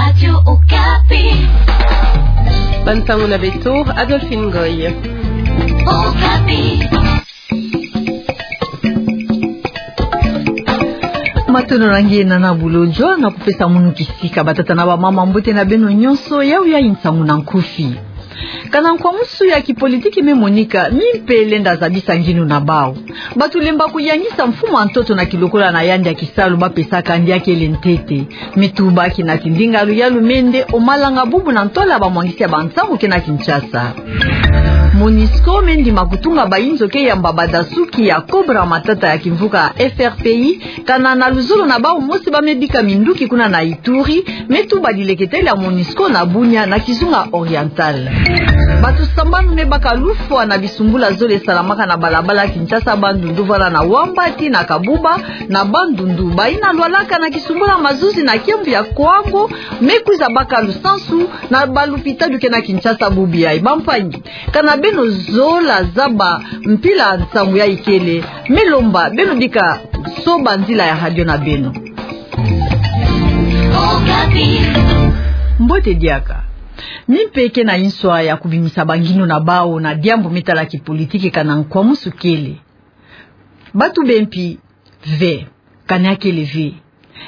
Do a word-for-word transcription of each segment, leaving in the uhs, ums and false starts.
Radio Okapi. Bansango na beto, Adolphine Ngoy. Okapi. Matondo na nge na bulo jona kupesa munu kisika. Batata na bamama, mbote na beno nyonso, yawu ya nsangu na nkufi. Kana nkwamusu ya kipolitiki me monika, mimpe lenda zabisa nginu na bawu. Bato lemba kuyangisa mfumu ya ntoto na kilokola na yandi ya kisalu bapesaka yandi ya kele ntete. Me tuba kinatindinga ya luyalu me nde omalanga bubu na ntwala bamwangisi ya bansangu ke na Kinshasa. Monusco me ndima kutunga bayinzo ke yamba badasuki ya Cobra Matata ya kimvuka F R P I, kana na luzolo na bawu mosi ba me bika minduki kuna na Ituri, me tuba dileketele ya Monusco na Bunia na Kizunga Oriental. Bato sambanu me baka lufwa na bisumbula zole salamaka na balabala Kinshasa Bandundu, vwala na Wamba tii na Kabuba na Bandundu. Bayina lwalaka na kisumbula mazuzi na kiambu ya Kwango, me kwiza baka lusansu na balupitalu ke na Kinshasa bubu yayi. Bampangi, kana beno zola zaba mpila nsangu yayi kele, me lomba beno bika soba nzila ya radio na beno. Mbote diaka. Mimpe ke na nswa ya kubimisa banginu na bawu na diambu me tala kipolitiki kana nkwamusu kele. Bato bempi ve, kana ya kele ve.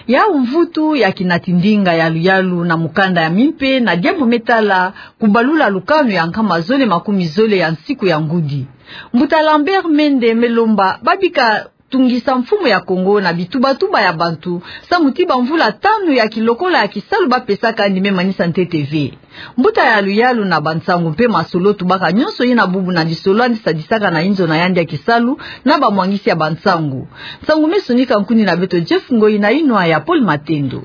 Yawu mvutu ya kinatindinga ya luyalu na mukanda ya mimpe na diambu me tala kubalula lukanu ya nkama zole makumi zole ya nsiku ya ngudi. Mbuta Lambert Mende me lomba babika tungisa mfumu ya Kongo na bitubatuba ya bantu, samu ti bamvula tanu ya kilokola ya kisalu bapesaka yandi me manisa ntete ve. Mbuta ya luyalu na bansangu mpe masolo tubaka nyonso yina bubu na lisolo yandi sadisaka na inzo na yandi ya kisalu na bamwangisi ya bansangu. Nsangu me sonika nkuni na beto Jeff Ngoyi na inwa ya Paul Matendo.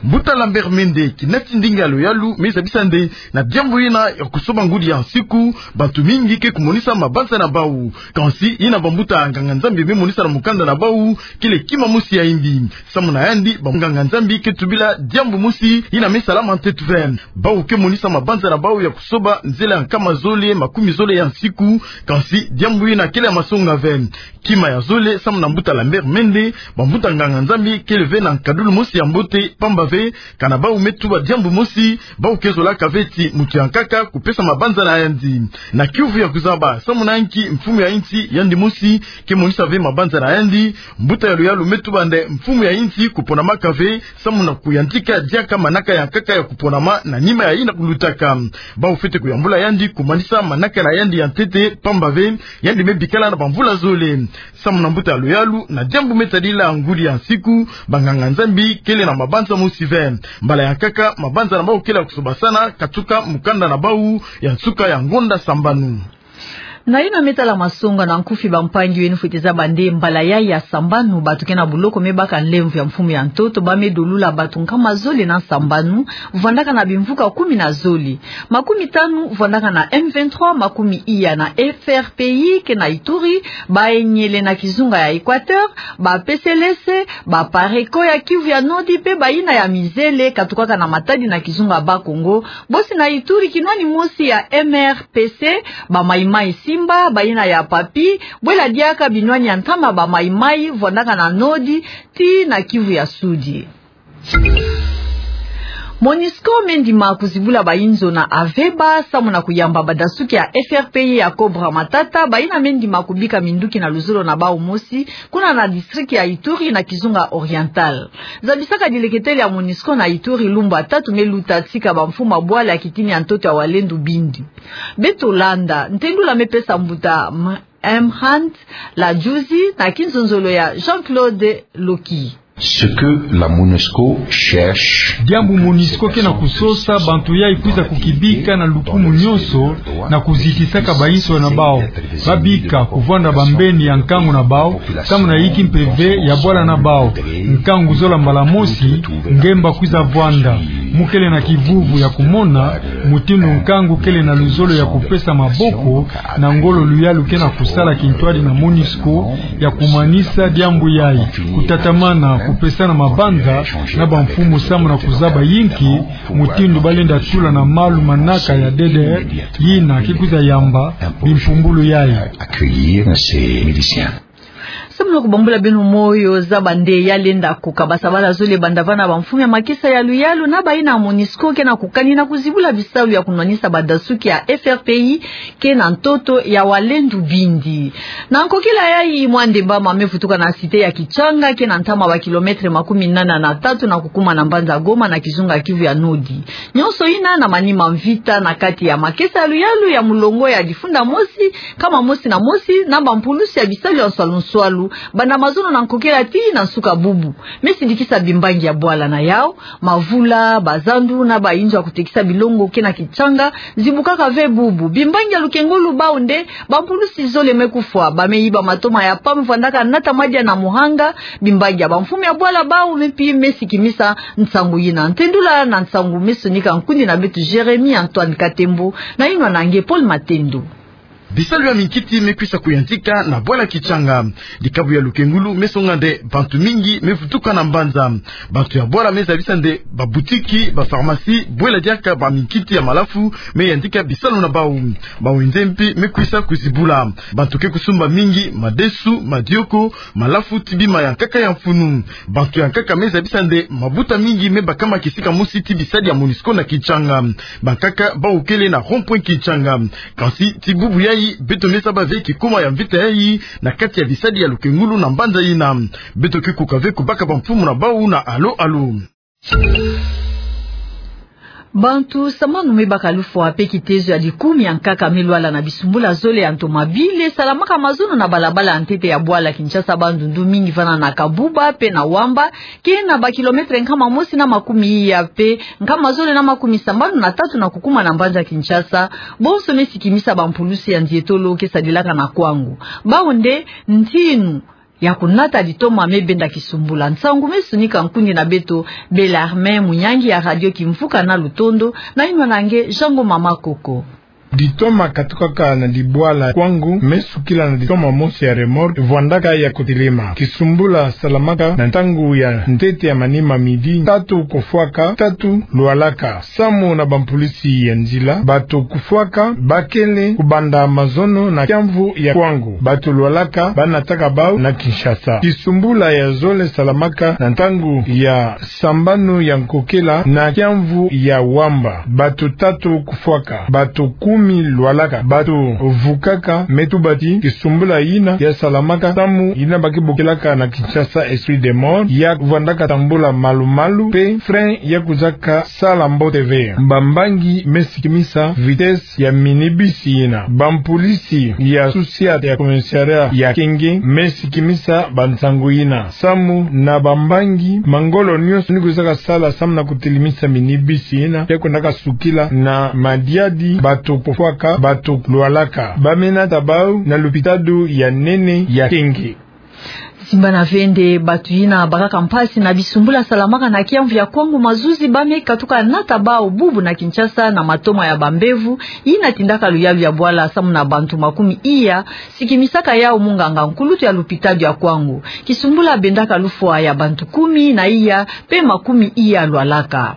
Mbuta Lambert Mende, kinatindinga ya luyalu me zabisa nde na diambu yina ya kusoba ngudi ya nsiku, bato mingi ke kumonisa mabanza na bawu. Kansi yina bambuta nganga-Nzambi me monisa na mukanda na bawu kele kima mosi ya yimbi. Samu na yandi, banganga-Nzambi ke tubila diambu mosi yina me salama ntete ve. Bawu ke monisa mabanza na bawu ya kusoba nzele ya nkama zole makumi zole ya nsiku, kansi diambu yina kele ya masonga ve. Kima ya zole, samu na mbuta Lambert Mende, bambuta nganga-Nzambi kele ve na nkadulu mosi ya mbote, pamba ve kana bawu me tuba diambu mosi, bawu ke zolaka ve ti mutu ya nkaka kupesa mabanza na yandi. Na kiuvu ya kuzaba, samu na nki mfumu ya insi yandi mosi ke monisa ve mabanza na yandi, mbuta ya luyalu me tuba nde mfumu ya insi kuponamaka ve samu na kuyantika diaka manaka ya nkaka ya kuponama na nima ya yina kulutaka. Bawu fwete kuyambula yandi kumanisa manaka na yandi ya ntete, pamba ve yandi me bikala na bamvula zole. Samu na mbuta ya luyalu, na diambu me tadila ngudi ya nsiku, banganga-Nzambi kele na mabanza mosi ve. Mbala ya nkaka, mabanza na bawu kele ya kusobasana katuka mukanda na bawu ya nsuka ya ngonda sambanu. Na yina me tala masonga na nkufi, bampangi, weno fwete zaba nde mbala yayi ya sambanu, bato ke na buloko me baka nlemvo ya mfumu ya ntoto ba me dolula bato nkama zole na sambanu, vwandaka na bimvuka kumi na zole. Makumi tanu vwandaka na M vingt-trois, makumi iya na F R P I ke na Ituri, ba Enyele na kizunga ya Equateur, ba P C L S, ba Pareko ya Kivu ya Nord, mpe bayina ya Mizele katukaka na Matadi na kizunga Bas-Congo, bosi na Ituri kinwani mosi ya M R P C, ba Maï-Maï Simba, bayina ya Papy, bwela diaka binwani ya ntama ba Maï-Maï, vwandaka na Nord, tii na Kivu ya Sud. Monusco me ndima kuzibula bayinzo na Aveba, samu na kuyamba badasuki ya F R P I ya Cobra Matata, bayina me ndima kubika minduki na luzolo na bawu mosi, kuna na district ya Ituri na kizunga Oriental. Zabisaka dileketele ya Monusco na Ituri lumbu ya tatu me luta, tika bamfumu ya bwala ya kitini ya ntoto ya Wazalendo bindi. Beto landa ntendula me pesa mbuta M-, Mhand Lajuzi na kinzonzolo ya Jean-Claude Loki. Ce que la Monusco cherche. Diambu Monusco ke na kusosa, bantu yayi kwiza kukibika na lukumu nyonso na kuzitisaka bayinzo na bawu. Babika kuvwanda bambeni ya nkangu na bawu, samu na yiki mpeve ya bwala na bawu. Nkangu zola mbala mosi, ngemba kwiza vwanda. Mu kele na kivuvu ya kumona mutindu nkangu kele na luzolo ya kupesa maboko na ngolo luyalu ke na kusala kintwadi na Monusco ya kumanisa diambu yayi, kutatamana kupesana mabanza na bamfumu samu na kuzaba yinki mutindu ba lenda tula na malu manaka ya D D R, yina ke kwiza yamba bimpumbulu yayi. Accueillir ces miliciens. Samu na kubambula beno moyo, zaba nde ya lenda kukabasa bala zole banda vana bamfumu ya makesa ya luyalu na bayina ya MONUSCO ke na kukanina kuzibula bisalu ya kunwanisa badasuki ya F R P I ke na ntoto ya Walendu Bindi. Na nkokila yayi, mwa ndemba mame vutuka na cité ya Kitshanga ke na ntama ba kilomètre makumi nana na tatu na kukuma na mbanza Goma na kizunga Kivu ya Nodi. Nyonso yina na manima mvita na kati ya makesa ya luyalu ya mulongo ya difunda mosi, nkama mosi na mosi, na bampulusi ya bisalu ya nswalu-nswalu, banda mazono na nkokila tii na nsuka bubu. Me sidikisa bimbangi ya bwala na yau, mavula, bazandu na bayinzo ya kutekisa bilongo ke na Kitshanga zibukaka ve bubu. Bimbangi ya lukengulu bau nde bampulusi zole me kufwa, ba me yiba matoma ya pamu vwandaka nata madia na muhanga. Bimbangi ya bamfumu ya bwala bau me pi me sikimisa nsangu yina. Ntendula na nsangu me sonika nkundi na beto Jérémie Antoine Katembo na yinwa na nge Paul Matendo. Bisalu ya minkiti me kwisa kuyantika na bwala Kitshanga. Dikabu ya lukengulu me songa nde bantu mingi me vutuka na mbanza. Bantu ya bwala me zabisa nde babutiki, bapharmacie, bwela diaka baminkiti ya malafu me yantika bisalu na bau. Bawenze mpe me kwisa kuzibula. Bantu ke kusumba mingi madesu, madioko, malafu ti bima ya nkaka ya mfunu. Bantu ya nkaka me zabisa nde mabuta mingi me bakama kisika mosi ti bisadi ya MONUSCO na Kitshanga. Bankaka bau kele na rond-point Kitshanga. Kansi ti bubu yayi, beto me zaba ve kikuma ya mvita yayi na kati ya bisadi ya lukengulu na mbanza yina. Beto ke kuka ve kubaka bamfumu na bau na alo-alo. Bantu sambanu me baka lufwa mpe kitezo ya dikumi ya nkaka me lwala na bisumbula zole ya ntomabile salamaka mazono na balabala ya ntete ya bwala Kinshasa Bandundu, mingi vana na Kabuba mpe na Wamba, ke na ba kilomètre nkama mosi na makumi iya mpe nkama zole na makumi sambanu na tatu na kukuma na mbanza Kinshasa. Bonso me sikimisa bampulusi ya nzietolo ke sadilaka na Kwango. Bau nde ntinu ya kunata ditoma me benda kisumbula. Nsangu me sonika nkundi na beto Bellarmin Munyangi ya Radio Kimvuka na Lutondo, na yinwa na nge Jean Ngoma Makoko. Ditoma katukaka na dibwala Kwango me sukila na ditoma mosi ya remorque vwandaka ya kutelema. Kisumbula salamaka na ntangu ya ntete ya manima midi, tatu kufwaka, tatu lwalaka. Samu na bampulusi ya nzila, bato kufwaka bakele kubanda mazono na kiamvu ya Kwango. Bato lwalaka banataka bau na Kinshasa. Kisumbula ya zole salamaka na ntangu ya sambanu ya nkokila na kiamvu ya Wamba. Bato tatu kufwaka, bato kumi lwalaka. Bato vukaka me tuba ti kisumbula yina ya salamaka samu yina ba ke bokelaka na Kinshasa esprit de mort, ya vwandaka tambula malu-malu mpe frein ya kwiza ka sala mbote ve. Bambangi me sikimisa vitesse ya minibus yina. Bampulisi ya societe ya commissariat ya Kenge me sikimisa bansangu yina. Samu na bambangi, mangolo nyonso ni kwizaka sala samu na kutelemisa minibus yina, ya kwendaka sukila na madiadi, bato kufwaka, bato lwalaka. Ba me nata bau na lupitalu ya nene ya Kenge. Simbana ve nde bato yina bakaka mpasi na bisumbula salamaka na kiamvu ya Kwango, mazuzi ba me katuka nata bau bubu na Kinshasa na matoma ya bambevo yina tindaka luyalu ya bwala samu na bantu makumi iya, sikimisaka yau munganga nkulutu ya lupitalu ya Kwango. Kisumbula bendaka lufwa ya bantu kumi na iya mpe makumi iya lwalaka.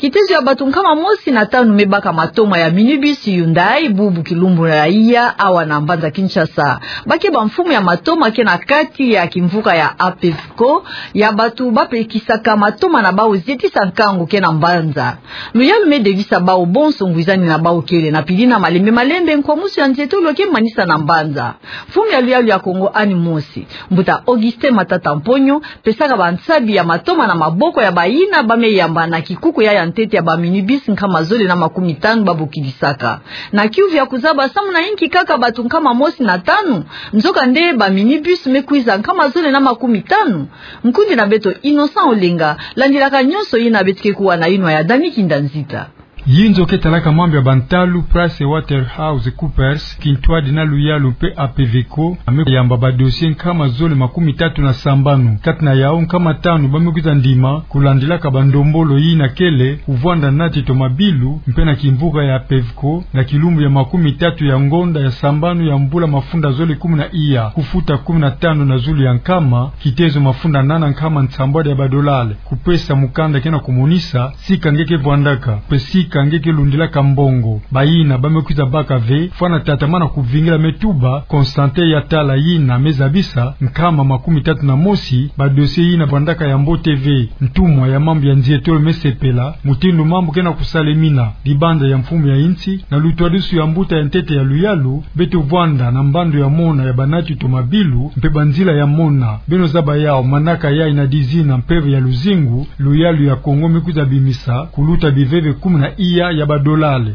Kitezo ya bato nkama mosi na tanu me baka matoma ya minibus Hyundai bubu kilumbu ya iya awa na mbanza Kinshasa. Ba ke bamfumu ya matoma ke na kati ya kimvuka ya APEVCO, ya bato ba pekisaka matoma na bau zietisa nkangu ke na mbanza. Luyalu me devisa bau bonso, ngwizani na bau kele na pili na malembe-malembe, nkwamusu ya nzietolo ke manisa na mbanza. Mfumu ya luyalu ya Kongo ani mosi, Mbuta Augustin Matata Mponyo, pesaka bansabi ya matoma na maboko ya bayina ba me yamba na kikuku ya ya ntete ya baminibus nkama zole na makumi tanu ba bokilisaka. Na kiuvu ya kuzaba samu na inki kaka bato nkama mosi na tanu, nzokande baminibus me kwiza nkama zole na makumi tanu. Nkundi na beto Innocent Olenga landilaka nyonso yina beto ke kuwa na yinwa ya Dani Kinda Nzita. Yinzo ke talaka mambu ya bantalu PricewaterhouseCoopers, kintwadi na luyalu mpe APEVCO, a me yamba badossier nkama zole makumi tatu na sambanu. Kati na yau nkama tanu ba me kwiza ndima, kulandilaka bandombolo yina kele, kuvwanda nati tomabilu, mpe na kimvuka ya APEVCO, na kilumbu ya makumi tatu ya ngonda ya sambanu ya mvula mafunda zole kumi na iya, kufuta kumi na tanu na zulu ya nkama, kitezo mafunda nana nkama nsambwadi ya badolale, kupesa mukanda ke na kumonisa sika nge ke vwandaka, mpe sika ka nge ke lundilaka mbongo. Bayina ba me kwiza baka ve fwana tata mana kuvingila me tuba Constantin Yatala, yina me zabisa nkama makumi tatu na mosi ba dossier yina vandaka ya mbote ve. Ntumwa ya mambu ya nzietolo me sepela mutindu mambu ke na kusalemina. Libanza ya mfumu ya insi na lutwadusu ya mbuta ya ntete ya luyalu, beto vwanda na mbandu ya mona ya banati to mabilu mpe banzila ya mona. Beno zaba yawu, manaka yayi na dizina mpeve ya luzingu, luyalu ya Kongo me kwiza bimisa kuluta biveve kumi na iya ya badolale.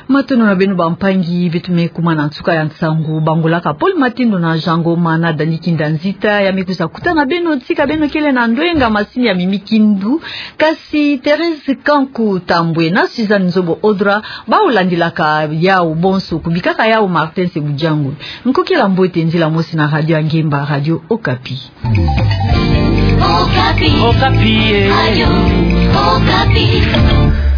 Matondo na beno bampangi, beto me kuma na nsuka ya nsangu bangolaka Paul Matindo na Jean Ngoma na Dani Kinda Nzita, ya me kwiza kutana beno, tika beno kele na ndwenga, masini ya Mimi Kindu, kasi Thérèse Kanku Tambwe na Suzanne Nzobo Odra bawu landilaka yawu bonso, kubikaka yawu Martin Sebudjango. Nkokila mbote, nzila mosi na radio ya ngemba, Radio Okapi. Okapi. Okapi, eh. Radio Okapi.